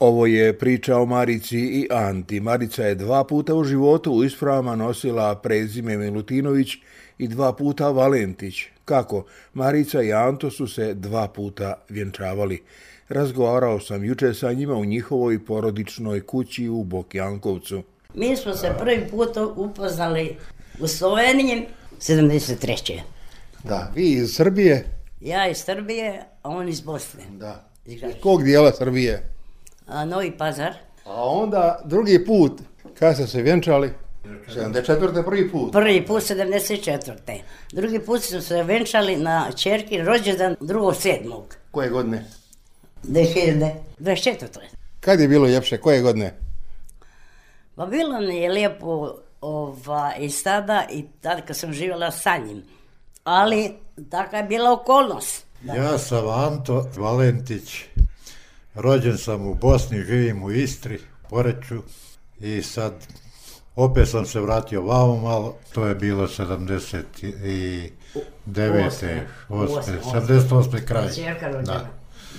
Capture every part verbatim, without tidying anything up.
Ovo je priča o Marici i Anti. Marica je dva puta u životu u ispravama nosila prezime Milutinović i dva puta Valentić. Kako? Marica i Anto su se dva puta vjenčavali. Razgovarao sam juče sa njima u njihovoj porodičnoj kući u Bokjankovcu. Mi smo se prvi put upoznali u Sloveniji sedamdeset treće. Da, vi iz Srbije? Ja iz Srbije, a on iz Bosne. Da. Iz kog dijela Srbije? A, Novi Pazar. A onda drugi put, kada ste se vjenčali? sedamdeset četvrte prvi put? Prvi put sedamdeset četvrte Drugi put su se venčali na ćerkin rođendan drugog sedmog Koje godine? dve hiljade dvadeset četvrte Kad je bilo ljepše? Koje godine? Pa bilo mi je lijepo ova, i sada i tada kad sam živjela sa njim. Ali taka je bila okolnost. Da. Ja sam Anto Valentić. Rođen sam u Bosni, živim u Istri, Poreču i sad opet sam se vratio vamo malo, to je bilo sedamdeset devete sedamdeset osme kraj. Da.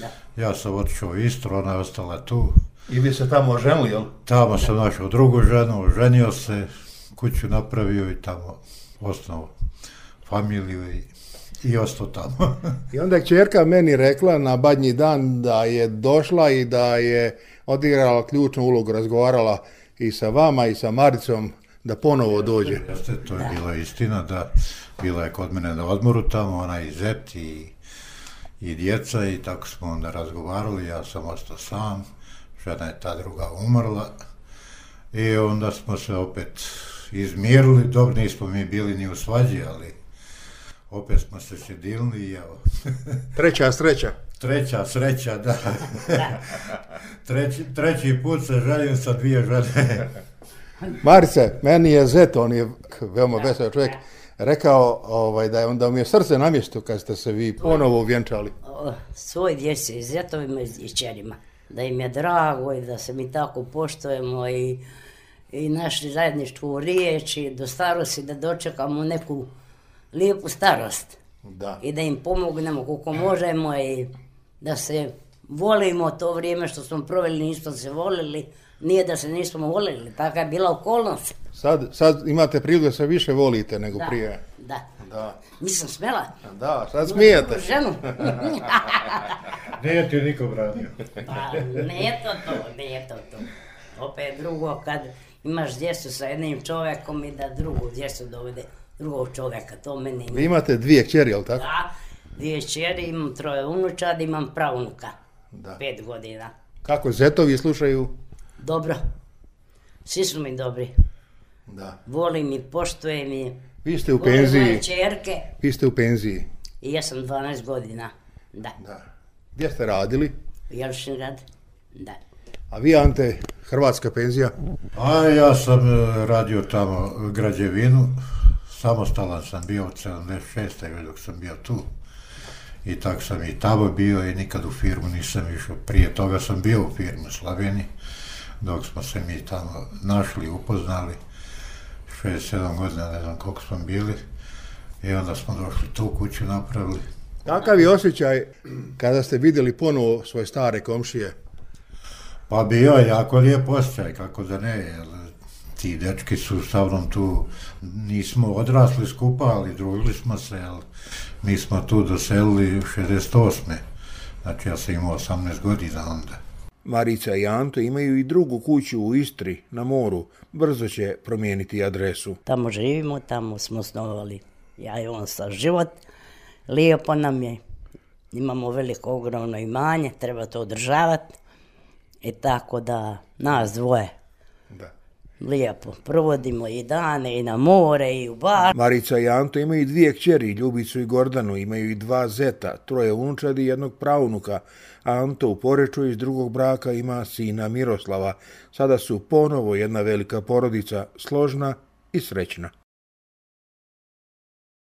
Da. Ja sam otišao u Istru, ona je ostala tu. I vi se tamo oženili, jel? Tamo sam našao drugu ženu, oženio se, kuću napravio i tamo osnovao familiju i, i ostao tamo. I onda je kćerka meni rekla na Badnji dan da je došla i da je odigrala ključnu ulogu, razgovarala i sa vama i sa Maricom da ponovo dođe. Jeste, to je bila istina, da bila je kod mene na odmoru tamo, ona i zet i, i djeca i tako smo onda razgovarali, ja sam ostao sam, žena je ta druga umrla i onda smo se opet izmirili, dobro nismo mi bili ni u svađi, ali opet smo se sjedilni i evo. Treća sreća. Treća sreća, da. treći, treći put se ženim sa dvije žene. Marice, meni je zet, on je veoma vesel čovjek, rekao ovaj, da je onda mi je srce na mjestu kad ste se vi ponovo vjenčali. Svoj djeci i zetovima i čerima. Da im je drago i da se mi tako poštujemo i, i našli zajedničku riječ i do starosti da dočekamo neku lijepu starost. Da. I da im pomognemo koliko možemo i da se volimo to vrijeme što smo proveli, nismo se volili, nije da se nismo volili, taka je bila okolnost. Sad, sad imate priliku da se više volite nego da, prije. Da, da. Nisam smjela. Da, sad smijete. Ženu. Nije ti niko branio. Pa, nije to to, nije to to. Opet drugo, kad imaš djecu sa jednim čovjekom i da drugu djecu dovede drugog čovjeka, to meni nije. Vi imate dvije kćeri, jel tako? Da, dvije kćeri, imam troje unučad, imam pravunuka, da. Pet godina. Kako zetovi slušaju? Dobro, svi su mi dobri. Da. Volim i poštujem i... Vi ste u penziji. Volim čerke. Vi ste u penziji. I ja sam dvanaest godina, da. Da. Gdje ste radili? Jelšingrad, da. A vi, Ante, hrvatska penzija? A ja sam radio tamo građevinu, samostalan sam bio od sedamdeset šeste dok sam bio tu. I tako sam i tamo bio i nikad u firmu nisam išao. Prije toga sam bio u firmu Slaveni, dok smo se mi tamo našli, upoznali. šezdeset sedam godina, ne znam koliko smo bili. I onda smo došli tu kuću napravili. Kakav je osjećaj kada ste vidjeli ponovo svoje stare komšije? Pa bio je jako lijep osjećaj, kako da ne, jer ti dečki su sa mnom tu, nismo odrasli skupa, ali družili smo se, jer mi smo tu doselili u šezdeset osme Znači ja sam imao osamnaest godina onda. Marica i Anto imaju i drugu kuću u Istri, na moru. Brzo će promijeniti adresu. Tamo živimo, tamo smo osnovali ja i on sa život. Lijepo nam je. Imamo veliko, ogromno imanje, treba to održavati. I tako da nas dvoje da. Lijepo provodimo i dane i na more i u bar. Marica i Anto imaju dvije kćeri, Ljubicu i Gordanu, imaju i dva zeta, troje unučadi i jednog pravunuka. Anto u Poreču iz drugog braka ima sina Miroslava. Sada su ponovo jedna velika porodica, složna i srećna.